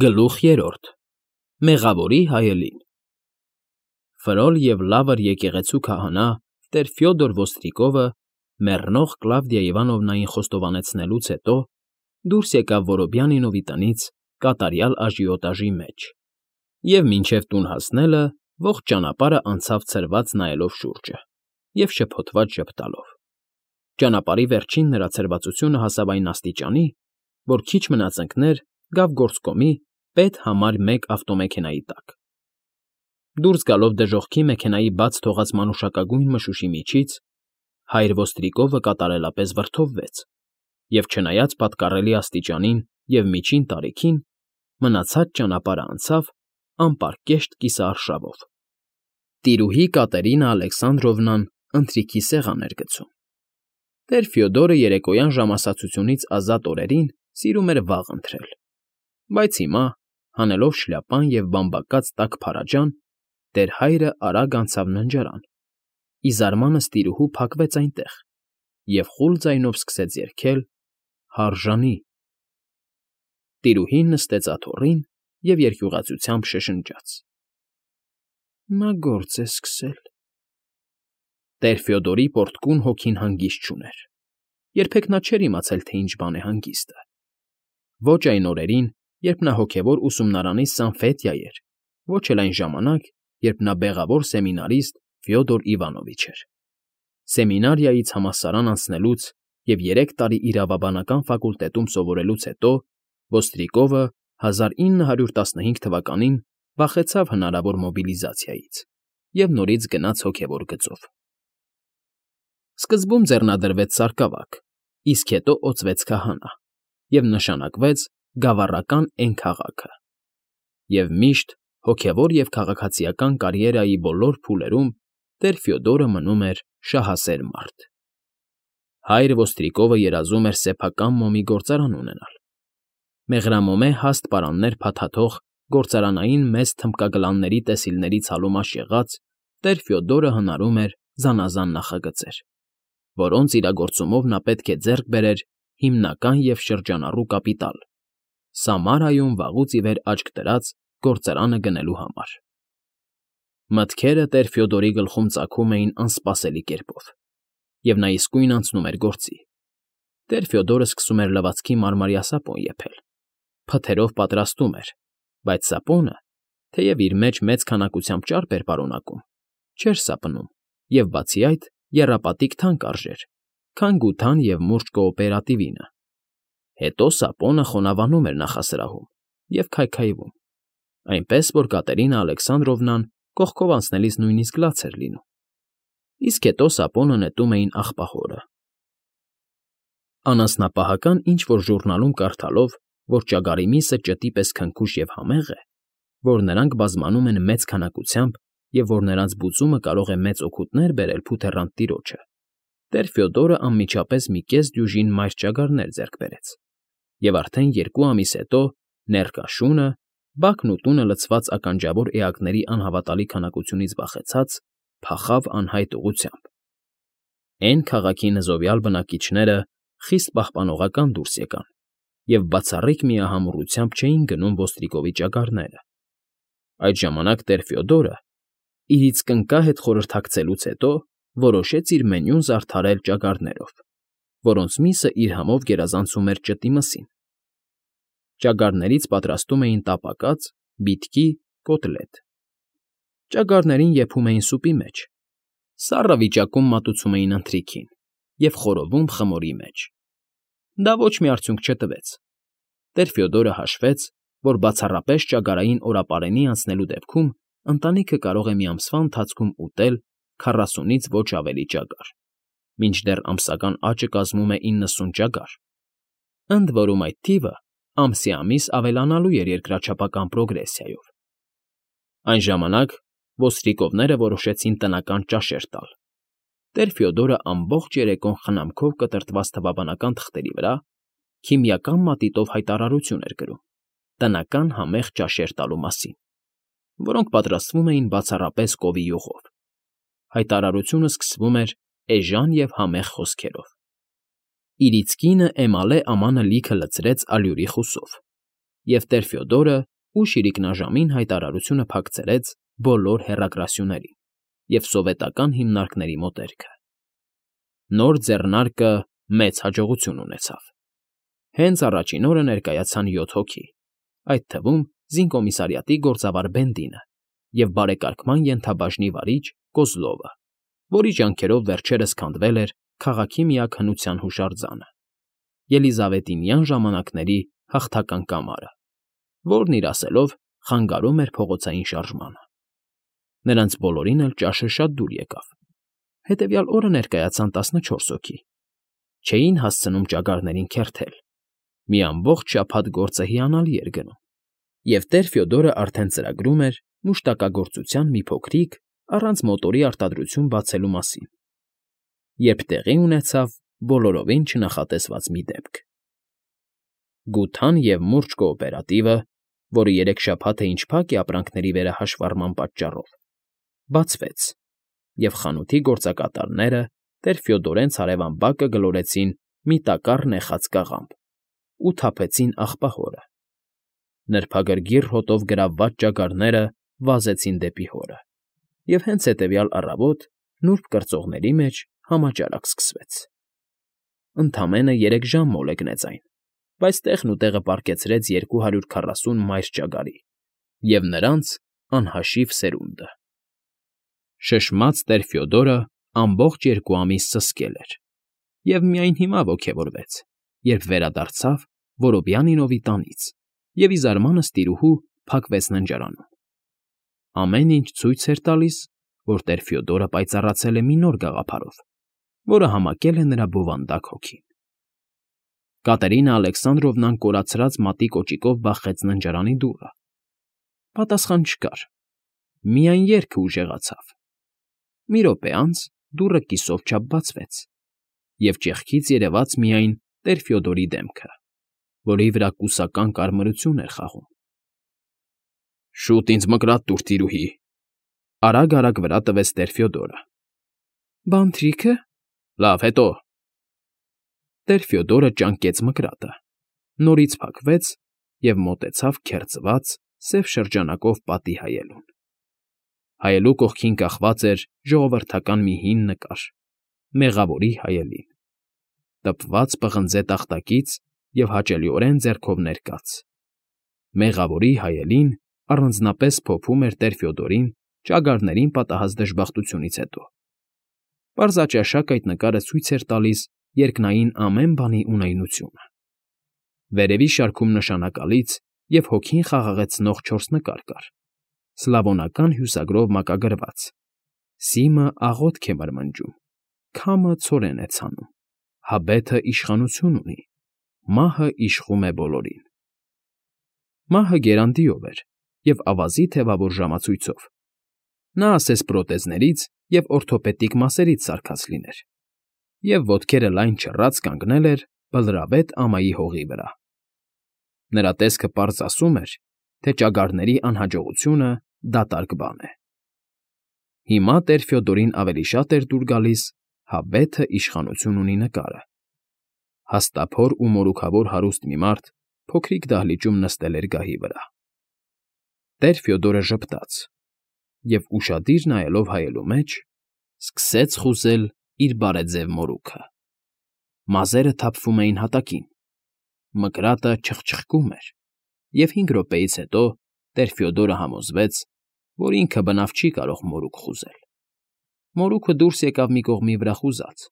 Գլուխ 3 Մեղավորի հայելին Ֆրոլ և լավր եկեղեցու քահանա տեր Ֆյոդոր Ոստրիկովը մեռնող Կլավդիա Իվանովնային խոստովանեցնելուց հետո դուրս եկավ Որոբյանինովի տնից կատարյալ աժիոտաժի մեջ և մինչև տուն հասնելը ողջ ճանապարհը անցավ ցրված նայելով շուրջը և շփոթված ժպտալով։ Ճանապարհի վերջին նրա ցրվածությունը հասավ այն աստիճանի, որ քիչ մնաց ընկներ գավ գործկոմի պետ համար 1 ավտոմեքենայի տակ։ Դուրս գալով դժոխքի մեքենայի բաց թողած մանուշակագույն մշուշի միջից, հայր Ոստրիկովը կատարելապես վրդովվեց և, չնայած պատկառելի աստիճանին և միջին տարիքին, մնացած ճանապարհը անցավ անպարկեշտ կիսաարշավով։ Տիրուհի Կատերինա Ալեքսանդրովնան ընթրիքի սեղան էր գցում։ Տեր Ֆյոդորը երեկոյան ժամասացությունից ազատ օրերին սիրում էր վաղ ընթրել, բայց հիմա, հանելով շլյապան և բամբակած տաք փարաջան, տեր հայրը արագ անցավ ննջարան, ի զարմանս տիրուհու փակվեց այնտեղ և խուլ ձայնով սկսեց երգել «Հարժանի»։ Տիրուհին նստեց աթոռին և երկյուղածությամբ շշնջաց. «Նա գործ է սկսել»։ Տեր Ֆյոդորի պոռթկուն հոգին հանգիստ չուներ. երբեք նա չէր իմացել, թե ինչ բան է հանգիստը։ Ոչ այն օրերին, երբ նա հոգևոր ուսումնարանի Սանֆետիա էր, ոչ էլ այն ժամանակ, երբ նա բեղավոր սեմինարիստ Ֆյոդոր Իվանովիչ էր։ Սեմինարիայից համալսարան անցնելուց և 3 տարի իրավաբանական ֆակուլտետում սովորելուց հետո Ոստրիկովը 1915 թվականին վախեցավ հնարավոր մոբիլիզացիայից և նորից գնաց հոգևոր գծով։ Սկզբում ձեռնադրվեց սարկավակ, իսկ հետո օծվեց քահանա և նշանակվեց գավառական էն-քաղաքը։ Եվ միշտ հոգևոր և քաղաքացիական կարիերայի բոլոր փուլերում տեր Ֆյոդորը մնում էր շահասեր մարդ։ Հայր Ոստրիկովը երազում էր սեփական մոմի գործարան ունենալ։ Մեղրամոմե հաստ պարաններ փաթաթող գործարանային մեծ թմբկագլանների տեսիլներից հալումաշ եղած տեր Ֆյոդորը հնարում էր զանազան նախագծեր, որոնց իրագործումով նա պետք է ձեռք բերեր հիմնական և շրջանառու կապիտալ՝ Սամարայում վաղուց ի վեր աչք դրած գործարանը գնելու համար։ Մտքերը տեր Ֆյոդորի գլխում ծագում էին անսպասելի կերպով, և նա իսկույն անցնում էր գործի։ Տեր Ֆյոդորը սկսում էր լվացքի մարմարյա սապոն եփել, փթերով պատրաստում էր, բայց սապոնը, թեև իր մեջ մեծ քանակությամբ ճարպ էր պարունակում, չէր սապնում և, բացի այդ, եռապատիկ թանկ արժեր, քան գութան և մուրճ կոոպերատիվինը։ Հետո սապոնը խոնավանում էր նախասրահում և քայքայվում, այնպես որ Կատերինա Ալեքսանդրովնան կողքով անցնելիս նույնիսկ լաց էր լինում, իսկ հետո սապոնը նետում էին աղբահորը։ Անասնապահական ինչ֊որ ժուռնալում կարդալով, որ ճագարի միսը ճտի պես քնքուշ և համեղ է, որ նրանք բազմանում են մեծ քանակությամբ և որ նրանց բուծումը կարող է մեծ օգուտներ բերել փութեռանտ տիրոջը, տեր Ֆյոդորը անմիջապես մի կես դյուժին մայր ճագարներ ձեռք բերեց, և արդեն 2 ամիս հետո ներկա շունը, բակն ու տունը լցված ականջավոր էակների անհավատալի քանակությունից վախեցած, փախավ անհայտ ուղղությամբ։ Էն֊քաղաքի նզովյալ բնակիչները խիստ պահպանողական դուրս եկան և բացառիկ միահամուռությամբ չէին գնում Ոստրիկովի ճագարները։ Այդ ժամանակ տեր Ֆյոդորը, իրից կնկա հետ խորհրդակցելուց հետո, որոշեց իր մենյուն զարդարել ճագարներով, որոնց միսը իր համով գերազանցում էր ճտի մսին։ Ճագարներից պատրաստում էին տապակած, բիթկի, կոտլետ։ Ճագարներին եփում էին սուպի մեջ, սառը վիճակում մատուցում էին ընթրիքին և խորովում խմորի մեջ։ Դա ոչ մի արդյունք չտվեց։ Տեր Ֆյոդորը հաշվեց, որ բացառապես ճագարային օրապարենի անցնելու դեպքում ընտանիքը կարող է մի ամսվա ընթացքում ուտել 40-ից ոչ ավելի ճագար, մինչդեռ ամսական աճը կազմում է 90 ճագար, ընդ որում այդ թիվը ամսի ամիս ավելանալու էր երկրաչափական պրոգրեսիայով։ Այն ժամանակ ոստրիկովները որոշեցին տնական ճաշեր տալ։ Տեր Ֆյոդորը ամբողջ երեկոն խնամքով կտրտված թվաբանական թղթերի վրա քիմիական մատիտով հայտարարություն էր գրում տնական համեղ ճաշեր տալու մասին, որոնք պատրաստվում էին բացառապես կովի յուղով։ Հայտարարությունը սկսվում էր էժան և համեղ խոսքերով. «Իրից կինը էմալե ամանը լիքը լցրեց ալյուրի խուսով»։ և տեր Ֆյոդորը ուշ իրիկնաժամին հայտարարությունը փակցրեց բոլոր հեռագրասյուներին և սովետական հիմնարկների մոտերքը։ Նոր ձեռնարկը մեծ հաջողություն ունեցավ։ Հենց առաջին օրը ներկայացան 7 հոգի, այդ թվում զինկոմիսարիատի գործավար Բենդինը և բարեկարգման ենթաբաժնի վարիչ Կոզլովը, որի ջանքերով վերջերս քանդվել էր քաղաքի միակ հնության հուշարձանը՝ ելիզավետինյան ժամանակների հաղթական կամարը, որն իր ասելով խանգարում էր փողոցային շարժմանը։ Նրանց բոլորին էլ ճաշը շատ դուր եկավ։ Հետևյալ օրը ներկայացան 14 հոգի։ Չէին հասցնում ճագարներին քերթել։ Մի ամբողջ շաբաթ գործը հիանալի էր գնում, և տեր Ֆյոդորը արդեն ծրագրում էր մուշտակագործության մի փոքրիկ, առանց մոտորի արտադրություն բացելու մասին, երբ տեղի ունեցավ բոլորովին չնախատեսված մի դեպք։ Գութան և մուրճ կոոպերատիվը, որը 3 շաբաթ է ինչ փակ է ապրանքների վերահաշվառման պատճառով, բացվեց, և խանութի գործակատարները տեր Ֆյոդորենց հարևան բակը գլորեցին մի տակառ նեխած կաղամբ ու թափեցին աղբահորը։ Նրբագրգիռ հոտով գրավված ճագարները վազեցին դեպի հորը, և հենց հետևյալ առավոտ նուրբ կրծողների մեջ համաճարակ սկսվեց։ Ընդամենը 3 ժամ մոլեգնեց այն, բայց տեղն ու տեղը պառկեցրեց 240 մայր ճագարի և նրանց անհաշիվ սերունդը։ Շշմած տեր Ֆյոդորը ամբողջ 2 ամիս սսկել էր և միայն հիմա ոգևորվեց, երբ վերադարձավ Որոբյանինովի տանից և ի զարմանս տիրուհու փակվեց ննջարանում։ Ամեն ինչ ցույց էր տալիս, որ տեր Ֆյոդորը պայծառացել է մի նոր գաղափարով, որը համակել է նրա բովանդակ հոգին։ Կատերինա Ալեքսանդրովնան կորացրած մատի կոճիկով բախեց ննջարանի դուռը։ Պատասխան չկար, միայն երգը ուժեղացավ։ Մի րոպե անց դուռը կիսով չափ բացվեց, և ճեղքից երևաց միայն տեր Ֆյոդորի դեմքը, որի վրա կուսական կարմրություն էր խաղում։ «Շուտ ինձ մկրատ տուր, տիրուհի», արագ վրա տվեց տեր Ֆյոդորը։ «Բանթրիքը»։ «Լավ, հետո»։ Տեր Ֆյոդորը ճանկեց մկրատը, նորից փակվեց և մոտեցավ քերծված, սև շրջանակով պատի հայելուն։ Հայելու կողքին կախված էր ժողովրդական մի հին նկար՝ մեղավորի հայելին, տպված պղնձե տախտակից և հաճելիորեն ձեռքով ներկած։ Մեղավորի հայելին առանձնապես փոփում էր տեր Ֆյոդորին ճագարներին պատահած դժբախտությունից հետո։ Պարզաճաշակ այդ նկարը ցույց էր տալիս երկնային ամեն բանի ունայնությունը։ Վերևի շարքում նշանակալից և հոգին խաղաղեցնող 4 նկար կար, սլավոնական հյուսագրով մակագրված. «Սիմը աղոթք է մրմնջում, քամը ցորեն է ցանում, հաբեթը իշխանություն ունի, մահը իշխում է բոլորին»։ Մահը գերանտիով էր և ավազի թևավոր ժամացույցով։ Նա ասես պրոթեզներից և օրթոպեդիկ մասերից սարքած լիներ, և ոտքերը լայն չռած կանգնել էր բլրավետ ամայի հողի վրա։ Նրա տեսքը պարզ ասում էր, թե ճագարների անհաջողությունը դատարկ բան է։ Հիմա տեր Ֆյոդորին ավելի շատ էր դուր գալիս «Հաբեթը իշխանություն ունի» նկարը։ Հաստափոր ու մորուքավոր հարուստ մի մարդ փոքրիկ դահլիճում նստել էր գահի վրա։ Տեր Ֆյոդորը ժպտաց և, ուշադիր նայելով հայելու մեջ, սկսեց խուզել իր բարեձև մորուքը։ Մազերը թափվում էին հատակին, մկրատը չխչխկում էր, և 5 րոպեից հետո տեր Ֆյոդորը համոզվեց, որ ինքը բնավ չի կարող մորուք խուզել։ Մորուքը դուրս եկավ մի կողմի վրա խուզած,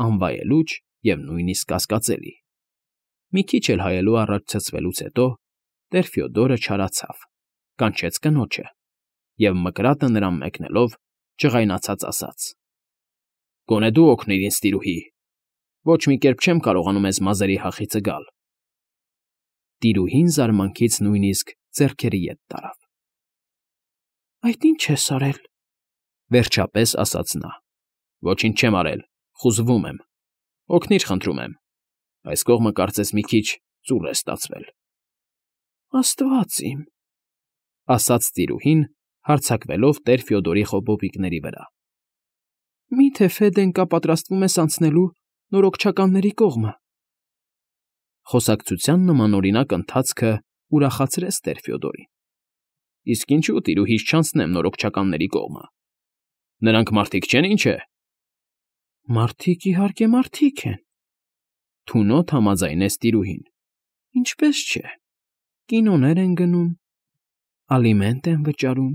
անվայելուչ և նույնիսկ կասկածելի։ Մի քիչ էլ հայելու առաջ ցցվելուց հետո տեր Ֆյոդորը չարացավ, կանչեց կնոջը և, մկրատը նրան մեկնելով, ջղայնացած ասաց. «Գոնե դու օգնիր ինձ, տիրուհի, ոչ մի կերպ չեմ կարողանում էս մազերի հախիցը գալ»։ Տիրուհին զարմանքից նույնիսկ ձեռքերի ետ տարավ։ «Այդ ի՞նչ ես արել», վերջապես ասաց նա։ «Ոչինչ չեմ արել, խուզվում եմ, օգնիր խնդրում եմ, այս կողմը կարծես մի քիչ ծուռ է ստացվել»։ «Աստված իմ», ասաց տիրուհին, հարձակվելով տեր Ֆյոդորի խոպոպիկների վրա։ «Մի՞թե Ֆեդենկա պատրաստվում ես անցնելու նորոգչականների կողմը»։ Խոսակցության նմանօրինակ ընթացքը ուրախացրեց տեր Ֆյոդորին։ Իսկ ինչու տիրուհիս չանցնեմ նորոգչականների կողմը։ Նրանք մարդիկ չեն, ինչ է։ Մարդիկ, իհարկե, մարդիկ են։ Թունոտ համաձայնեց տիրուհին։ Ինչպես չէ։ Կինոներ են գնում, ալիմենտ են վճարում։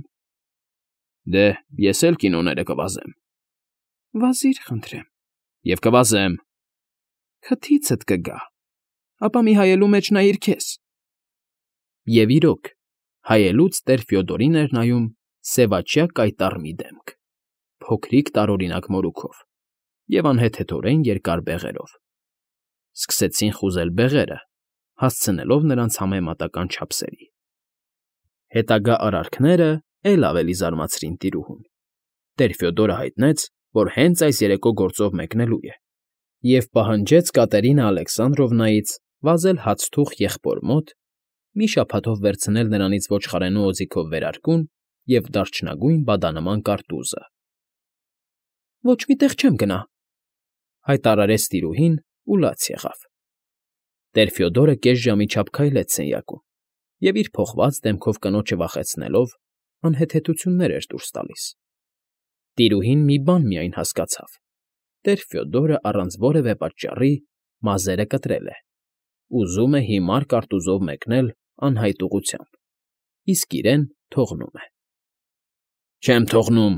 Դե, ես էլ կինոները կվազեմ։ Վազիր, խնդրեմ։ Եվ կվազեմ։ Քթիցդ կգա, ապա մի հայելու մեջ նայիր քեզ։ Եվ իրոք, հայելուց տեր Ֆյոդորին էր նայում սևաչյա կայտառ մի դեմք, փոքրիկ տարօրինակ մորուքով և անհեթեթորեն երկար բեղերով։ Սկսեցին խուզել բեղերը, հասցնելով նրանց համեմատական չափսերի։ Հետագա արարքները էլ ավելի զարմացրին տիրուհուն։ Տեր Ֆյոդորը հայտնեց, որ հենց այս երեկո գործով մեկնելու է, և պահանջեց Կատերինա Ալեքսանդրովնայից վազել հացթուխ եղբոր մոտ, մի շաբաթով վերցնել նրանից ոչխարենու օձիքով վերարկուն և դարչնագույն բադանման կարտուզը։ Ոչ մի տեղ չեմ գնա, հայտարարեց տիրուհին ու լաց եղավ։ Տեր Ֆյոդորը կես ժամի չափ քայլեց սենյակում և իր փոխված դեմքով կնոջը վախեցնելով անհեթեթություններ էր դուրս տալիս։ Տիրուհին մի բան միայն հասկացավ. տեր Ֆյոդորը առանց որևէ պատճառի մազերը կտրել է, ուզում է հիմար կարտուզով մեկնել անհայտ ուղղությամբ, իսկ իրեն թողնում է։ Չեմ թողնում,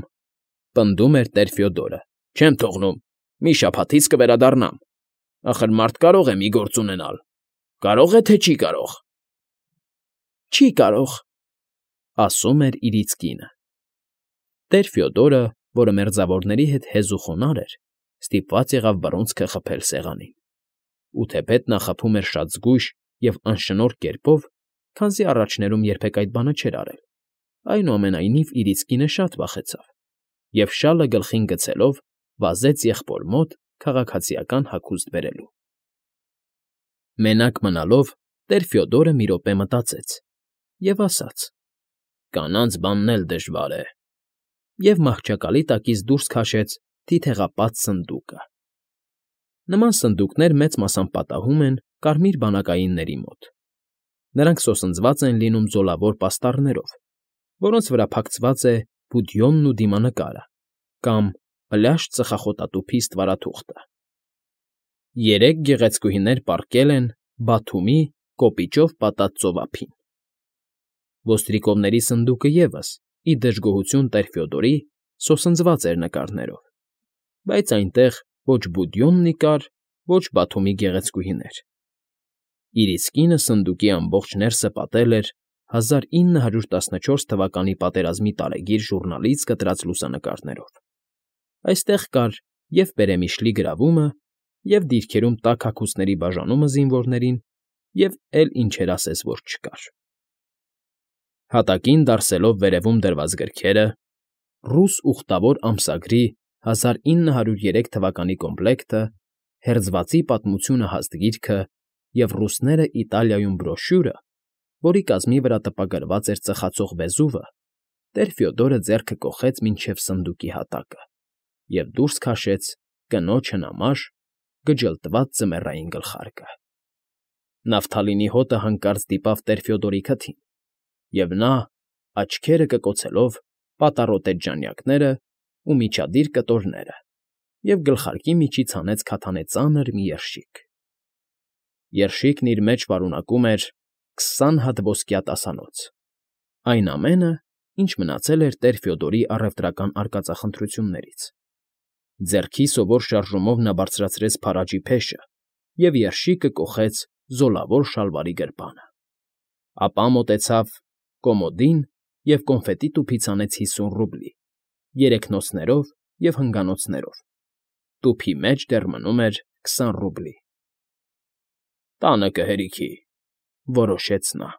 պնդում էր տեր Ֆյոդորը, չեմ թողնում, մի շաբաթից կվերադառնամ։ Ախր մարդ կարող է մի գործ ունենալ, կարող է, թե չի կարող։ Չի կարող, ասում էր իրից կինը։ Տեր Ֆյոդորը, որը մերձավորների հետ հեզ ու խոնարհ էր, ստիպված եղավ բռունցքը խփել սեղանին։ Ու թեպետ նա խփում էր շատ զգույշ և անշնորհ կերպով, քանզի առաջներում երբեք այդ բանը չէր արել, այնուամենայնիվ իրից կինը շատ վախեցավ և շալը գլխին գցելով վազեց եղբոր մոտ քաղաքացիական հագուստ բերելու։ Մենակ մնալով տեր Ֆյոդորը մի րոպե մտածեց և ասաց. «Կանանց բանն էլ դժվար է», և մահճակալի տակից դուրս քաշեց թիթեղապատ սնդուկը։ Նման սնդուկներ մեծ մասամբ պատահում են կարմիր բանակայինների մոտ։ Նրանք սոսնձված են լինում ձոլավոր պաստառներով, որոնց վրա փակցված է բուդյոնն ու դիմանկարը կամ պլաշ ծխախոտատուփի ստվարաթուղթը։ 3 գեղեցկուհիներ պառկել են Բաթումի կոպիճով պատած ծովափին։ Ոստրիկովների սնդուկը ևս, ի դժգոհություն տեր Ֆյոդորի, սոսնձված էր նկարներով, բայց այնտեղ ոչ Բուդյոննի կար, ոչ Բաթումի գեղեցկուհիներ։ Իր իսկ կինը սնդուկի ամբողջ ներսը պատել էր 1914 թվականի պատերազմի տարեգիր ժուռնալից կտրած լուսանկարներով։ Այստեղ կար և Պերեմիշլի գրավումը, և դիրքերում տաք հագուստների բաժանումը զինվորներին, և էլ ինչեր ասես, որ չկար։ Հատակին դարսելով վերևում դրված գրքերը, ռուս ուխտավոր ամսագրի 1903 թվականի կոմպլեկտը, հերձվածի պատմությունը հաստ գիրքը և ռուսները Իտալիայում բրոշյուրը, որի կազմի վրա տպագրված էր ծխացող վեզուվը, տեր Ֆյոդորը ձեռքը կոխեց մինչև սնդուկի հատակը և դուրս քաշեց կնոջ հնամաշ, գջլտված ձմեռային գլխարկը։ Նավթալինի հոտը հանկարծ դիպավ տեր Ֆյոդորի քթին, և նա, աչքերը կկոցելով, պատառոտեց ժանյակները ու միջադիր կտորները և գլխարկի միջից հանեց քաթանե ծանր մի երշիկ։ Երշիկն իր մեջ պարունակում էր 20 հատ ոսկյա տասանոց, այն ամենը, ինչ մնացել էր տեր Ֆյոդորի առևտրական արկածախնդրություններից։ Ձեռքի սովոր շարժումով նա բարձրացրեց փարաջի փեշը և երշիկը կոխեց զոլավոր շալվարի գրպանը։ Ապա մոտեցավ կոմոդին և կոնֆետի տուփից հանեց 50 ռուբլի, 3 նոցներով և հնգանոցներով։ Տուփի մեջ դեռ մնում էր 20 ռուբլի։ «Տանը կհերիքի», որոշեց նա։